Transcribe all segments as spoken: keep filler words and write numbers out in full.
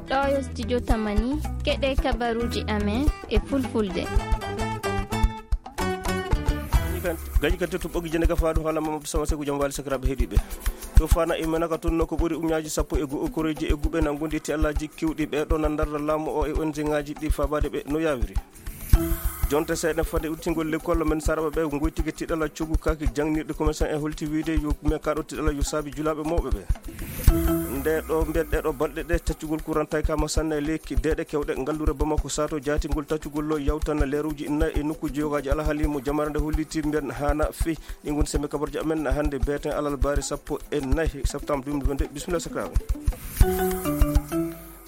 Ɗo yo studio Tamani, keɗe kabaruuji amen e fulfulde. Gaji kan tettu ɓogi jene gafa ɗum haala Mamadou Sama Seku Jam Wali sakiraɓe heɗiɓe. To fana e menaka tun no ko ɓuri uñaji sappo e go'o koreji e guɓe na gondi ti alaji kiwɗi ɓe ɗo na ndarra laamu o e O N G ngaji ɗi fabade ɓe no yawiri. Jonte seeɗa fade urtingol lekkol men saraɓe ɓe goytigi tiɗala cogu kaki jangnirɗe commerçant e holti wiide yo me kaɗo tiɗala yo saabi julaɓe mawɓe ɓe. Nde ɗo mbiyen ɗe ɗo balɗe ɗe taccugol courant tawi kama sanne e lekki deeɗe kewɗe ngallure Bamako sato jaatingol taccugol lo yawtana leeruji nayi e nokkuji yogaji alhaali mo jamare nde holliti mbiyen hana fi. Ɗi ngon sembe kabarji amen hannde beeten alal baari sappo e nayi septembre deux mille vingt-deux. Bisimilla sakiraaɓe.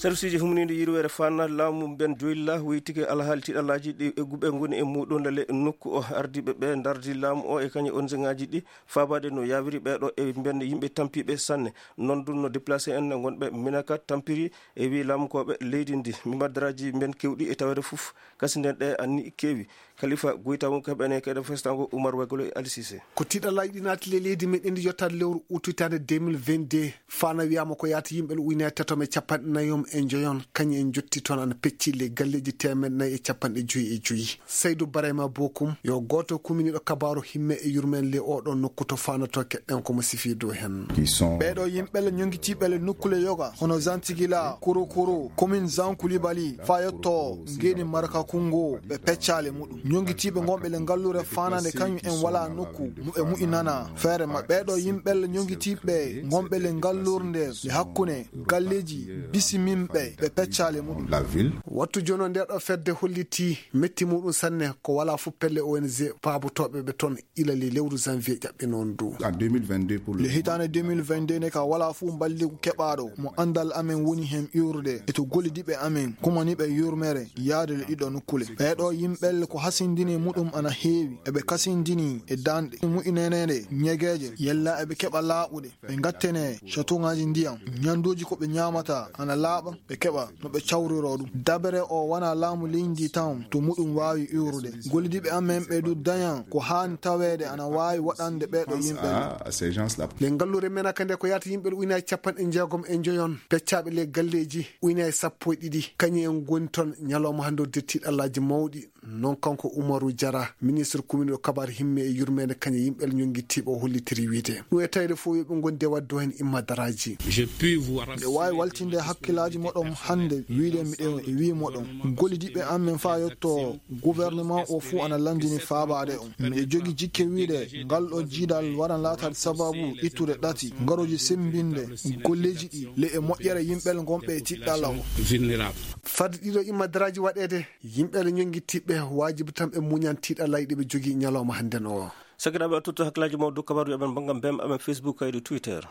Serviceji humniiɗo yirweere fana laamu mben joyilla wiytike alhaali tiɗalaaji ɗi egguɓe ngoni e muɗum lale nokku o ardiiɓe ɓe ndardi laamu o e kañe O N G ngaji ɗi faabaade no yawiri ɓeeɗo e mben yimɓe tampiiɓe sanne. Noon dun no déplacé en ngonɓe Minaka tampiri e wi laamukooɓe leydi ndi mimadaraaji mben kewɗi e taweede fof. Kasi nden ɗe anni keewi. Kalifa Goyta won kaɓene keɗe festango Umar Wegolo e Ali Cissé. Ko tiɗalaaji ɗi naati le leydi meɗen ndi yottaade lewru utu hitaande deux mille vingt-deux. Fana wiyama ko yaata yimɓe ujunaaji tato e capanɗe nayi e joyon, kañum en jotti toon ana pecci le galleeji teemeɗɗe nayi e capanɗe joyi e joyi. Saydu Barayma Bokum yo gooto kuminiiɗo kabaaru himme e yurmen le oɗo nokku to fanato keɗɗen ko mo sifi dow hen. Ɓeeɗo yimɓe le ñoŋgitiiɓe le nokkule yoga hono Zantigila, Kurukuru, commune Zankulibali, fa yotto Ngeni Marka Kungo, ɓe peccaale muɗum. Ñoŋgitiiɓe ngonɓe le ngallure fanande kañum en wala nokku mu-, ɓe mu'inana feere maɓɓe. Ɓeeɗo yimɓe le ñoŋgitiiɓe ngonɓe le ngallurde le hakkunde galleeji bisimimɓe, ɓe peccaale muɗum. La ville. Wattu jono nde ɗo fedde holliti metti muɗum sanne ko wala fof pelle O N G paabotooɓe ɓe toon ila le lewru janvier ƴaɓɓe noon du. En deux mille vingt-deux pour le le hitaande deux mille vingt-deux ne ka wala fof mballigu keɓaaɗo mo anndal amen woni heen iwrude e to gollidiiɓe amen kumaniiɓe yurmere yaade le ɗiɗo nokkule. Ɓeeɗo yimɓe le ko hasindini muɗum ana heewi, eɓe kasindini e daanɗe mu'inanede ñegeeje, yella eɓe keɓa laaɓuɗe, ɓe ngattene chatongaaji ndiyam, ñanduuji ko ɓe ñaamata ana laaɓa, ɓe keɓa no ɓe cawriro ɗum. Dabere o wona laamu leydi ndi tan to muɗum waawi iwrude. Gollidiiɓe amen ɓe du daña ko haani taweede ana waawi waɗande ɓeeɗo yimɓe. Le ngallure men aka nde ko yaata yimɓe ujunaaji capanɗe jeegom e joyon, peccaaɓe le galleeji ujunaaji sappo e ɗiɗi, kañum en ngoni toon ñalawma hannde o dettiiɗo Allaaji mawɗi. Noon kanko Umaru Jara, ministre kuminiiɗo kabaar himme e yurmeende kañum yimɓe ñoŋgitiiɓe o hollitiri wiyde. Ɗum e tawde fof yo ɓe ngondi e waɗde heen immadaraaji. Mbeɗa waawi waltinde hakkillaaji moɗon hannde wiyde miɗo e wii moɗon. Gollidiiɓe amen faa yotto gouvernement o fuu ana lanndini faabaade on. Miɗo jogi jikke wiyde ngal ɗo jiidal waran laataade sababu ittude ɗati, ngarooji semmbinde golleeji ɗi le e moƴƴere yimɓe ngonɓe e tiɗɗalla o. Fadde ɗiɗo immadaraaji waɗeede, yimɓe le ñoŋgitiiɓe waajibi tan ɓe muñan tiɗɗallaaji ɗi ɓe jogii ñalawma hannden o. Sakiraaɓe, a tottu hakkillaaji mawɗo dow kabaaruuji amen banngal mbem amen Facebook kaydi Twitter.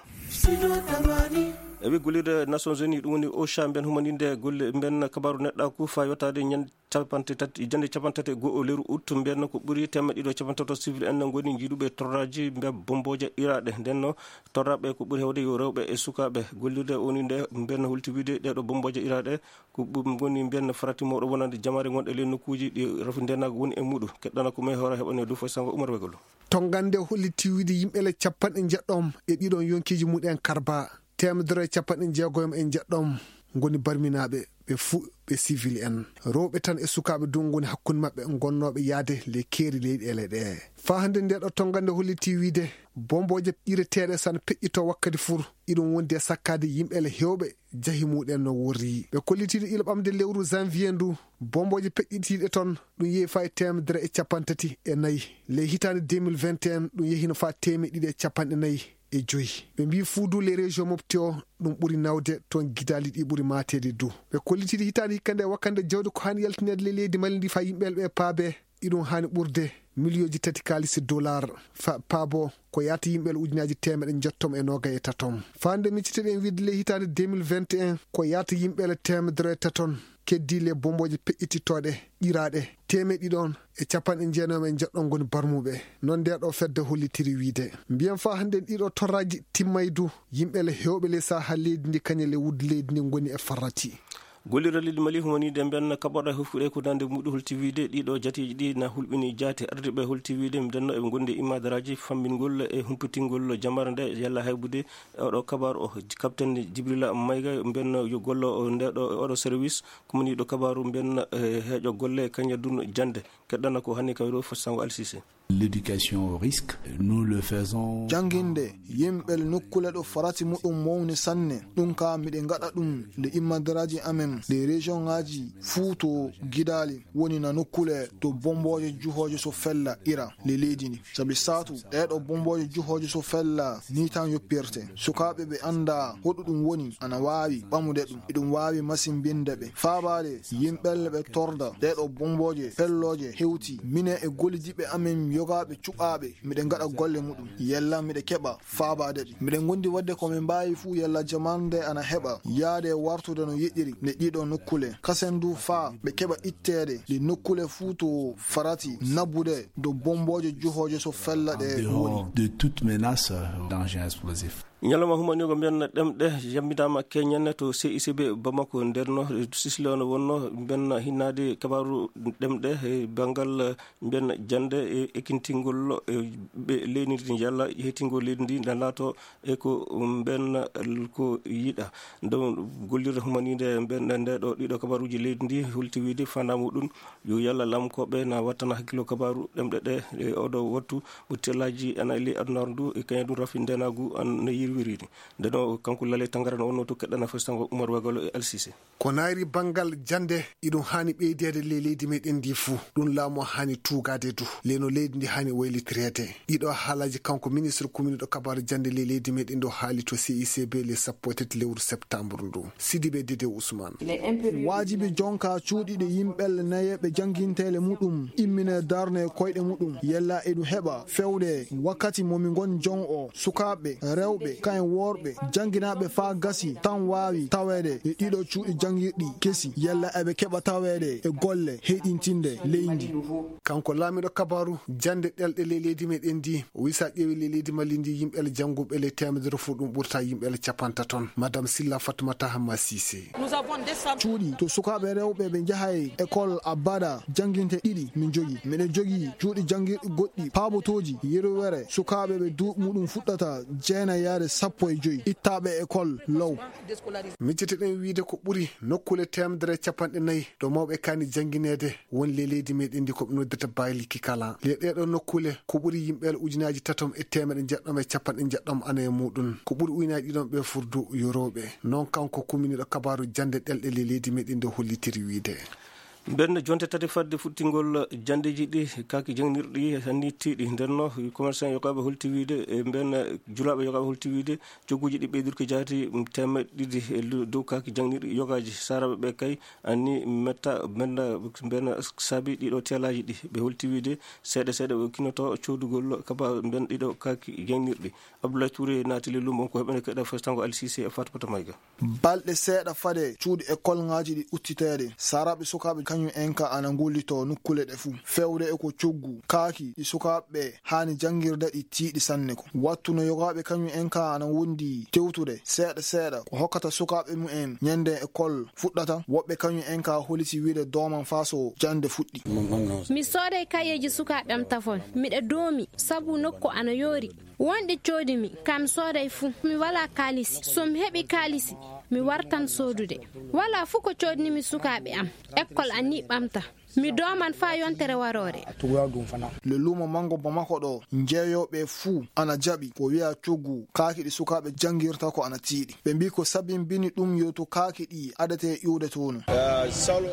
E wi gollirde Nations Unies ɗum woni OCHA mbiyen humaninde golle mbiyen kabaaru neɗɗaaku faa yottaade ñande capanɗe tati, jannde capanɗe tati e go'o lewru août mbiyen ko ɓuri teemeɗɗe ɗiɗo e capanɗe tato civil en ngoni jiiduɓe torraaji mbiyen bombooje iraaɗe. Nden no torraaɓe ko ɓuri heewde yo rewɓe e sukaaɓe. Gollirde woni nde mbiyen hulti wiide ɗeeɗo bombooje iraaɗe ko ɓum ngoni mbiyen farati mawɗo wonande jamaare ngonɗe ley nokkuuji ɗi rafi ndenaga woni e muɗum. Keɗɗana ko may hoore heɓane du foy sango Umar Wegolo. Tongannde holliti wiide yimɓe le capanɗe njeɗɗom e ɗiɗon yonkiiji muɗen karba, teemedere e capanɗe jeegom e njeɗɗom ngoni barminaaɓe, ɓe fuu ɓe civil en. Rewɓe tan e sukaaɓe du ngoni hakkunde maɓɓe ngonnooɓe yahde le keeri leyɗeele ɗe. Faa hannde nde ɗo tongannde holliti wiide bombooje ƴireteeɗe sana peƴƴito wakkati fuu, iɗum wondi e sakkaade yimɓe le heewɓe jahi muɗen no worri. Ɓe kollitiiɗo ila ɓamde lewru janvier ndu, bombooje peƴƴitiiɗe toon, ɗum yehi faa e teemedere e capanɗe tati e nayi. Ley hitaande deux mille vingt et un, ɗum yehino faa teemeɗɗe ɗiɗi e capanɗe nayi e joyi. Ɓe mbii fuu du le région mofti o, ɗum ɓuri nawde toon, gidaali ɗi ɓuri maateede du. Ɓe kollitiiɗo hitaande hikka nde wakkande jawdi ko haani yaltineede le leydi Mali ndi faa yimɓe ɓe paabe, iɗum haani ɓurde miliyonji tati kaalisi dollar fa paabo ko yaata yimɓe ujunaaji teemeɗɗe njettom e noogay e tatom. Faa nde miccitoɗen wiide le hitaande deux mille vingt et un ko yaata yimɓe le teemedere e taton keddii le bombooje peƴƴitittooɗe ƴiraaɗe teemeɗɗe ɗiɗon e capanɗe jeenayi e njeɗɗo ngoni barmuɓe. Noon nde ɗo fedde hollitiri wiide mbiyen faa hannde ɗiɗo torraaji timmay du yimɓe le heewɓe le saha leydi ndi kañe le wuddu leydi ndi ngoni e farrati. Gollirde leydi Mali humaniiɗe mben kaɓorɗe hofkuɗe ko nande muɗu holti wiide ɗiɗo jateeji ɗi na hulɓini jaate. Ardiiɓe holti wiide mbenno eɓe ngondi e immadaraaji fammbingol e humpitingol jamare nde yalla haybude. Oɗo kabaru o, Capitaine Jibrila Mayga mbenno yo gollo o nde ɗo oɗo service kumaniiɗo kabaru mbenno e heeƴo golle kañadun jannde. Keɗɗana ko hanni kawiro fo sango alsise. L'éducation au risque, nous le faisons. Jannginde yimɓe nokkule ɗo farati muɗum mawni sanne. Ɗum ka miɗe ngaɗa ɗum nde immadaraaji amen ɗe région ŋaaji fuu to gidaali woni na nokkule to bombooje juhooje so fella ira le leydi ndi. Sabi saatu ɗeeɗo bombooje juhooje so fella ni tan yoppirte. Sukaaɓe ɓe annda hoɗo ɗum woni ana waawi ɓamude ɗum. Eɗum waawi masimbinde ɓe. Faabaade yimɓelle ɓe torda ɗeeɗo bombooje pellooje hewti mine e gollidiɓe amen yogaaɓe cuɓaaɓe. Miɗe ngaɗa golle muɗum. Yalla miɗe keɓa faabaade ɗi. Miɗen ngondi waɗde ko min mbaawi fuu yalla jamanɗe ana heɓa yaade wartude no yiɗiri nde ɗiɗo nokkule. Kasen du faa ɓe keɓa itteede ɗi nokkule fuu to farati nabude do bombooje juhooje so fella ɗe woni. De toute menace, euh, danger explosif. Ñalawma humaniigo mbiyen ɗemɗe yammidaama keñen to C I C B Bamako. Nder no sisle ono wonno mbiyen hinnaade kabaaru ɗemɗe e banngal mbiyen jannde e ekintingol e ɓe leydi ndi yalla yeetingol leydi ndi na laato e ko mbiyen ko yiɗa. Ɗum gollirde humaniinde mbiyen nde ɗo ɗiɗo kabaaruuji leydi ndi holti wiide fanda muɗum yo yalla lamkooɓe na wattana hakkilo kabaaru ɗemɗe ɗe e oɗo wattu mo tellaaji ana e ley adunaaru ndu e kañum ɗum rafi ndenaagu an no yirwiri ni. Ndeno kanko Lale Tangara no wonno to keɗɗana fo sango Umar Wagalo e Alsise. Ko naayri banngal jannde iɗum haani ɓeydeede ley leydi meɗen ndi fuu. Ɗum laamu haani tuugaade du. Leyno leydi ndi haani waylitireede. Ɗiɗo haalaaji kanko ministre kuminiiɗo kabaaru jannde ley leydi meɗen ɗo haali to C I C B le sappo e tati lewru septembre ndu. Sidibe Dede Ousmane. Waajibi jonka cuuɗiiɗe yimɓelle nayeeɓe jannginteele muɗum immine darne koyɗe muɗum. Yella eɗum heɓa fewde wakkati mo mi ngon jon o sukaaɓe rewɓe kayen worɓe jannginaaɓe faa gasi tan waawi taweede e ɗiɗo cuuɗi janngirɗi kesi yalla eɓe keɓa taweede e golle heyɗintinde leydi. Kanko laamiiɗo kabaaru jannde ɗelɗe ley leydi meɗen ndi o wisa ƴeewi ley leydi Mali ndi yimɓe le jannguɓe le teemedere fuu ɗum ɓurta yimɓe le capantaton. Madame Silla Fatoumata Hamma Cissé. Cuuɗi to sukaaɓe rewɓe ɓe njahay école abada jannginte ɗiɗi min jogi. Miɗen jogi cuuɗi janngirɗi goɗɗi paabotooji yerwere sukaaɓe ɓe duuɓi muɗum fuɗɗata jeenay yaade sappo e joy ittaaɓe école law. Micciteɗen wiide ko ɓuri nokkule teemedere capanɗe nayi ɗo mawɓe kaani janngineede woni le leydi meɗen ndi ko ɓe noddirta Bailey Kikala. Le ɗeɗo nokkule ko ɓuri yimɓe le ujunaaji tatom e teemedere njeɗɗom e capanɗe njeɗɗom ana e muɗum. Ko ɓuri ujunaaji ɗiɗon ɓe furdu yo rewɓe. Noon kanko kuminiiɗo kabaaru jannde ɗelɗe le leydi meɗen ndi hollitiri wiide. Mben jonte tati fadde fuɗtingol janndeeji ɗi kaaki jangnirɗi hanni tiiɗi. Nden no commerçant yogaaɓe holti wiide e mben julaaɓe yogaaɓe holti wiide cogguuji ɗi ɓeydirki jaati teemeɗɗe ɗiɗi e lu-, dow kaaki jangnirɗi yogaaji. Saaraaɓe ɓe kay anni metta mben, mben saabi ɗiɗo teelaaji ɗi. Ɓe holti wiide seeɗa seeɗa ɓe kinoto coodugol kaba mben ɗiɗo kaaki jangnirɗi. Abdoulaye Touré naati le lumbo ko heɓene keɗa festango Alsise e Fatmata Mayga. Balɗe seeɗa fade cuuɗi école ŋaaji ɗi uttiteede, saaraaɓe sukaaɓe kañum en ka ana ngullitoo nokkuule ɗe fuu. Feewde e ko coggu, kaaki ɗi sukaaɓe haani janngirde ɗi tiiɗi sanne ko. Wattu no yogaaɓe kañum en ka ana wondi tewtude seeɗa seeɗa ko hokkata sukaaɓe mumen ñande école fuɗɗata, woɓɓe kañum en ka holiti wiide dooman faa so jannde fuɗɗi. Mi sooday kayeeji sukaaɓe am tafon. Miɗa doomi sabu nokku ana yoori. Wonɗi coodi mi, ka mi sooday fuu. Mi walaa kaalisi. So mi heɓi kaalisi, mi wartan soodude. Walaa fuu ko coodnimi sukaaɓe am. Ekkol an ni ɓamta. Mi dooman faa yontere waroore. Le luumo manngo Bamako ɗo, jeeyooɓe fuu ana jaɓi ko wi'a coggu, kaaki ɗi sukaaɓe janngirta ko ana tiiɗi. Ɓe mbii ko sabimbini ɗum yo to kaaki ɗi adetee iwde toon.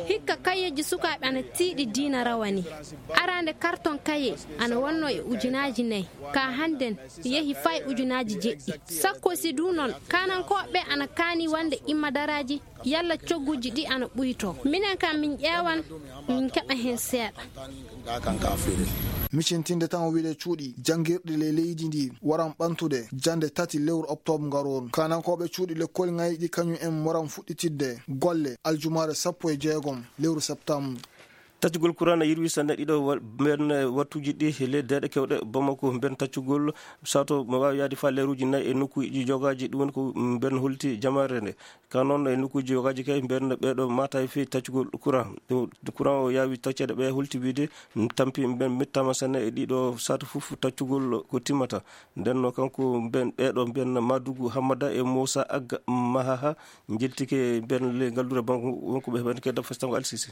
Hikka kayeeji sukaaɓe ana tiiɗi diina rawani. Araande karton kaye ana wonno e ujunaaji nayi. Ka hannden yehi fay ujunaaji jeɗɗi. Sakko si du non, kaanankooɓe ana kaani wonde immadaraaji yalla cogguuji ɗi ana ɓuytoo. Minen kam min ƴeewan, min keɓa heen seeɗa. Micintinde tan o wiide cuuɗi janngirɗi ley leydi ndi waran ɓantude jannde tati lewru oktoobre ngarooru. Kaanankooɓe cuuɗi lekkol ŋayɗi kañum en waran fuɗɗitidde golle aljumaare sappo e jeegom lewru septembre. Taccugol kuran yirwi sanne ɗiɗo wa-, mben wattuuji ɗi e ley deeɗe kewɗe Bamako. Mben taccugol sato mo waawi yahde faa leeruuji nayi e nokkuuji jogaaji. Ɗum woni ko mben holti jamaare nde. Ka noon e nokkuuji jogaaji kay mben ɓeeɗo maata e fii taccugol kuran. Ɗo kuran o yaawi tacceede ɓe holti wiide tampi mben mettaama sanne e ɗiɗo sato fof taccugol ko timmata. Nden no kanko mben ɓeeɗo mben Madugu Hammada e Moussa Agga Mahaha njeltike mben le ngalluure banko wonko ɓe heɓani kay dafo stango Alsisi.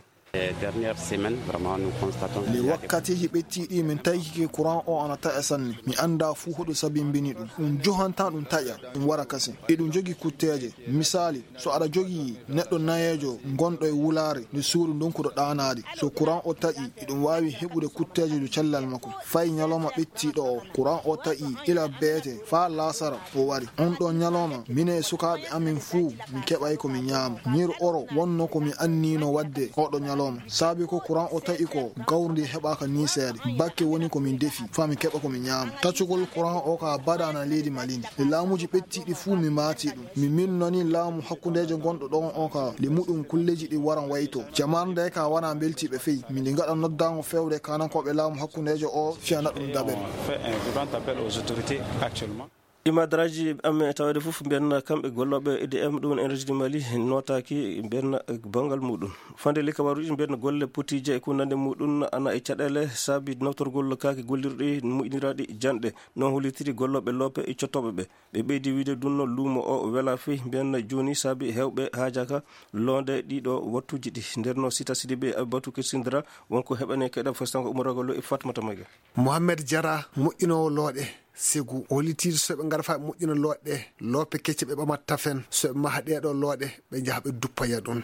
Dernière semaine, vraiment, nous constatons qu'il y a des wakkatiiji ɓettiiɗi min taykike courant o ana taƴa sanne. Mi anndaa fuu hoɗo sabimbini ɗum. Ɗum johantaa ɗum taƴa, ɗum wara kasen. Eɗum jogii kutteeje. Misaali, so aɗa jogii neɗɗo nayeejo ngonɗo e wulaare, nde suudu ndonkuɗo ɗaanaade. So courant o taƴi, eɗum waawi heɓude kutteeje dow cellal makko. Fay ñalawma ɓettiiɗo o, courant o taƴi ila beete faa laasara o wari. On ɗoo ñalawma, minen e sukaaɓe amin fuu, min keɓay ko min ñaama. Ñiiri oro wonno ko mi anniino waɗde oɗo ñalawma. Saabi ko courant o taƴi ko, gawri ndi heɓaaka nii seeɗa. Bakke woni ko min defi, faa min keɓa ko min ñaama. Taccugol courant o ka baɗaana leydi Mali ndi. E laamuuji ɓettiiɗi fuu mi maati ɗum. Mi minnoni laamu hakkundeejo gonɗo ɗon o ka, le muɗum kulleeji ɗi waran wayto. Jamaanu nde ka wona mbeltiiɓe fey. Min ndi ngaɗa noddaango fewre kanankooɓe laamu hakkundeejo o fiyana ɗum daɓere. On fait un vibrant appel aux autorités actuellement. Imadaraaji amen e taweede fof mbiyanna kamɓe gollooɓe E D M, ɗum woni Énergie du Mali, nootaaki mbiyanna banngal muɗum. Fande ley kabaruuji mbiyanna golle potiije e ko nande muɗum ana e caɗeele saabi nawtorgol kaake gollirɗi moƴƴiniraaɗi janɗe. Noon hollitiri gollooɓe loope e cottooɓe ɓe. Ɓe ɓeydi wiide ɗum no luumo o welaa fey mbiyanna jooni saabi heewɓe haajaaka loonde ɗiɗo wattuuji ɗi. Nder no Sita Sidibe Abibatu Kirsindira wonko heɓane keɗa fostango umoragol e Fatmata Mage. Mohamed Jara, moƴƴinoowo looɗe, Segu, o hollitii so ɓe ngara faa ɓe moƴƴina looɗe ɗe, loope kecce ɓe ɓamata tafen, so ɓe maha ɗee ɗoo looɗe, ɓe njaha ɓe duppoya ɗum.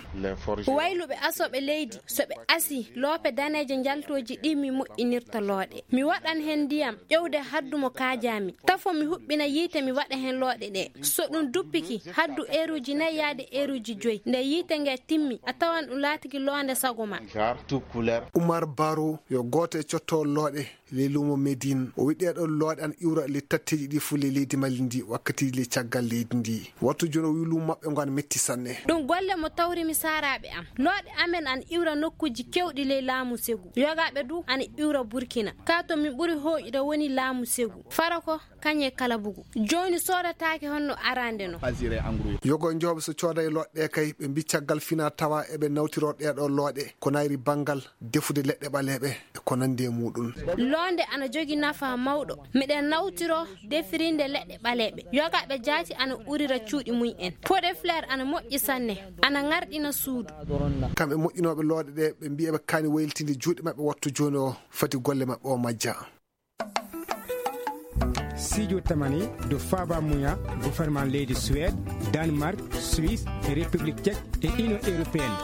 Wayluɓe asooɓe leydi, so ɓe asii, loope daneeje njaltooji ɗi mi moƴƴinirta looɗe. Mi waɗan heen ndiyam, ƴowde haddu mo kaajaami. Tafo mi huɓɓina yiite, mi waɗa heen looɗe ɗe. So ɗum duppiki, haddu eeruuji nayi yaade eeruuji joyi. Nde yiite nge timmi, a tawan ɗum laatiki loonde sago ma. Umar Baro, yo gooto e cottoowo looɗe ley luumo Médine. O wi'i ɗee ɗoo looɗe ana iwra ley tatteeji ɗi fof ley leydi Mali ndi, wakkatiiji ley caggal leydi ndi. Wattu jooni o wi'i luumo maɓɓe ngo ana metti sanne. Ɗum golle mo tawri mi saaraaɓe am. Looɗe amen ana iwra nokkuuji keewɗi ley laamu Segu. Yogaaɓe du ana iwra Burkina. Ka to min ɓuri hooƴude woni laamu Segu. Farako, kañe kala bugu. Jooni soodataake honno araande no. Yogo njooɓe so cooda e looɗe ɗe kay, ɓe mbi caggal fina tawa eɓe nawtiro ɗee ɗoo looɗe. Ko nayri banngal defude leɗɗe ɓaleeɓe e ko nanndi e muɗum. Loonde ana jogi nafa mawɗo. Miɗen nawtiro defirinde leɗɗe ɓaleeɓe. Yogaaɓe jaati ana urira cuuɗi mum en. Pot de fleur ana moƴƴi sanne. Ana ŋarɗina suudu. Kamɓe moƴƴinooɓe looɗe ɗe, ɓe mbi'i ɓe kaani waylitinde juuɗe maɓɓe wattu jooni o, fati golle maɓɓe o majja. Sijo tamani do faba muya gouvernement leydi Suède, Danemark, Suisse, e République Tchèque e Union Européenne.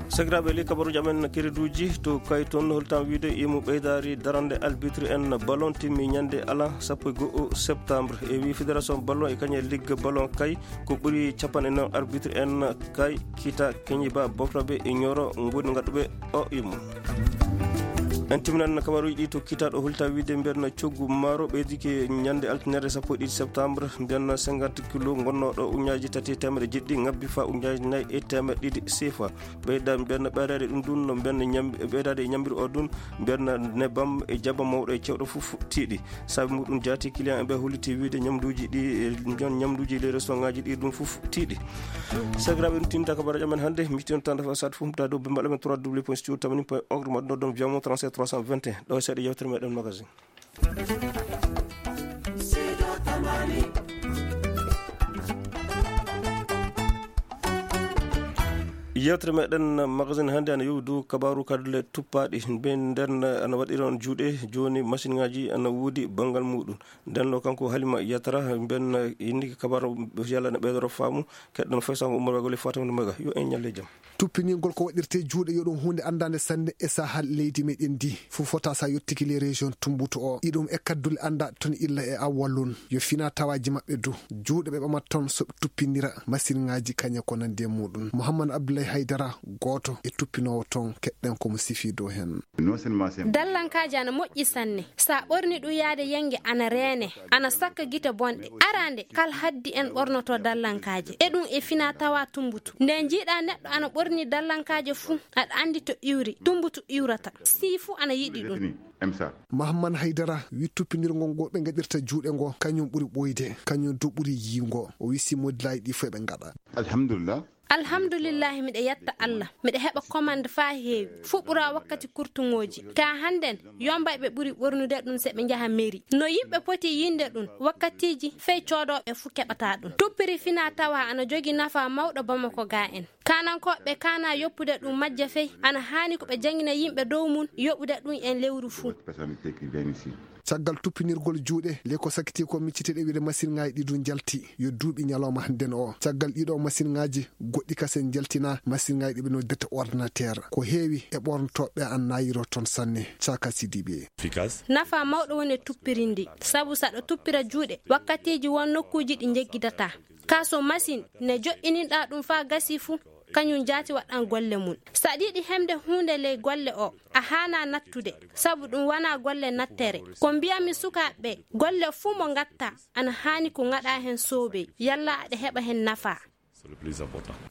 Sakiraaɓe, ley kabaruuji amen kiriduuji to kay toon, holtan wiide imu ɓeydaari darande arbitre en ballon timmi ñande ala sappo e go'o septembre. E wi fédération ballon e kañe ligue ballon kay ko ɓuri capanɗe noon arbitre en kay Kita Keñiba Bofraɓe e Ñoro ngoni ngaɗuɓe o imu. En timminan kabaruuji ɗi to Kita ɗo holta wiide mbiyanna coggu maaro ɓeydike ñande altine sappo e ɗiɗi septembre, mbiyanna cinquante kilo gonnooɗo uñaaji tati e teemeɗe jeɗɗi ngabbi fa uñaaji nayi e teemeɗe ɗiɗi sefa. Ɓeyda mbiyanna ɓeydaade ɗum ɗum no mbiyanna ñam-, ɓeydaade e ñambiri o ɗum mbiyanna nebam e jaba mawɗo e cewɗo fof tiiɗi. Saabi muɗum jaati client en ɓe holliti wiide ñamduuji ɗi, e jon ñamduuji ley restaurant ngaji ɗi ɗum fof tiiɗi. Sakiraaɓe, ɗum tinta kabaruuji amen hannde. Miccitoɗen tan dafa saat fof mbaɗa dow bimbaɗ amen trois w point studio tamani point org, mbaɗa ɗum via mo trente-sept trois cent vingt et un. Ɗo e seeɗa yewtere meɗen magazine. Yewtere meɗen magazine hannde ana yowi dow kabaaru kadi le tuppaaɗi. Mbiyen nden ana waɗira on juuɗe jooni, machine ngaji ana woodi banngal muɗum. Nden ɗo kanko Halima Yatara, mbiyen inni kabaaru yalla ne ɓeydoro faamu. Keɗɗon fay sango Umar Wagoli Fatima Maga. Yo en ñalle jam. Tuppiningol ko waɗirte juuɗe yo ɗum huunde anndaande sanne e sahal leydi meɗen ndi. Fof fota sa yottiki les régions tumbuto o. Iɗum e kaddule annda ton illa e awwalun. Yo fina tawaji maɓɓe du. Juuɗe ɓe ɓamat ton so ɓe tuppindira machine ngaji kañe ko nandi e muɗum. Mouhammad Abdoulaye Haydara, gooto e tuppinoowo toon, keɗɗen ko mo sifii dow heen. Dallankaaji ana moƴƴi sanne. So a ɓorni ɗum yaade yenge ana reene, ana sakka gite bonɗe. Araande, kala haddi en ɓornoto dallankaaje. E ɗum e fina tawa tumbutu. Nde njiiɗa neɗɗo ana ɓorni dallankaaje fuu, aɗa anndi to iwri, tumbutu iwrata. Sii fuu ana yiɗi ɗum. Mahamman Haydara wi tuppinirgol ngol ɓe ngaɗirta juuɗe ngo, kañum ɓuri ɓooyde, kañum du ɓuri yiingo. O wi si modilaaji ɗi fof ɓe ngaɗa. Alhamdulillah. Alhamdulillahi, miɗa yetta Allah. Miɗa heɓa commande faa heewi. Fuu ɓura wakkati kurtuŋooji. Ka hannden, yombay ɓe ɓuri ɓornude ɗum se ɓe njaha meri. No yimɓe poti yinde ɗum, wakkatiiji fey coodooɓe fuu keɓata ɗum. Tuppiri fina tawa ana jogi nafa mawɗo Bamako ga en. Kaanankooɓe kaana yoppude ɗum majja fey, ana haani ko ɓe janngina yimɓe dow mum yoɓude ɗum en lewru fuu. Caggal tuppinirgol juuɗe, le ko sakkiti ko miccite ɗe wiyde masinŋaaji ɗi ɗum jalti, yo duuɓi ñalawma hannden o. Caggal ɗiɗo masinŋaaji, goɗɗi kasen jaltina, masinŋaaji ɗi ɓe noddirta ordinateur. Ko heewi e ɓornotooɓe an naayiro toon sanne, Caka Sidibe. Nafa mawɗo woni e tuppirindi, sabu saɗa tuppira juuɗe, wakkatiiji won nokkuuji ɗi njeggidata. Ka so masin ne joɗɗininɗa ɗum faa gasi fuu, kañum jaati waɗan golle mum. So aɗa yiɗi heɓde huunde ley golle o, a haana nattude, sabu ɗum wona golle nattere. Ko mbiyami sukaaɓe ɓe, golle fuu mo ngatta, ana haani ko ngaɗa heen soobey, yalla aɗa heɓa heen nafa.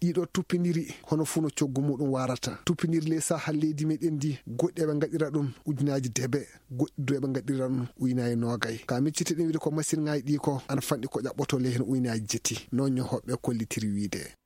Ɗiɗo tuppiniri, hono fuu no coggu muɗum waarata. Tuppiniri ley saaha leydi meɗen ndi, goɗɗi eɓe ngaɗira ɗum ujunaaji debe, goɗɗi du eɓe ngaɗira ɗum ujunaaji noogay. Ka miccite ɗin wiyde ko masinŋaaji ɗi ko, ana fanɗi ko ƴaɓɓoto ley heen ujunaaji jetti. Noon ñohoɓe kollitiri wiyde.